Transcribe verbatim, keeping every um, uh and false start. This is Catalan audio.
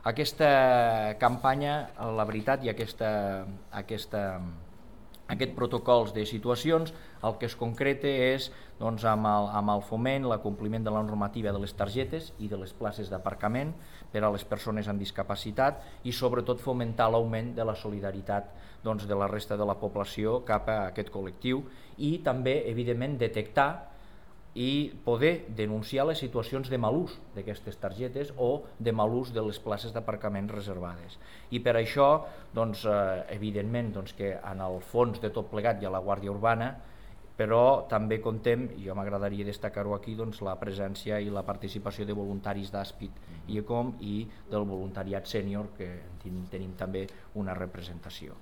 aquesta campanya, la veritat, i aquesta, aquesta, aquest protocols de situacions, el que es concreta és doncs, amb, el, amb el foment, l'acompliment de la normativa de les targetes i de les places d'aparcament per a les persones amb discapacitat i sobretot fomentar l'augment de la solidaritat doncs, de la resta de la població cap a aquest col·lectiu i també, evidentment, detectar i poder denunciar les situacions de mal ús d'aquestes targetes o de mal ús de les places d'aparcament reservades. I per això, doncs, eh, evidentment, doncs, que en el fons de tot plegat hi ha la Guàrdia Urbana, però també contem, i jo m'agradaria destacar-ho aquí, doncs, la presència i la participació de voluntaris d'Àspid i ECOM i del voluntariat sènior, que tenim, tenim també una representació.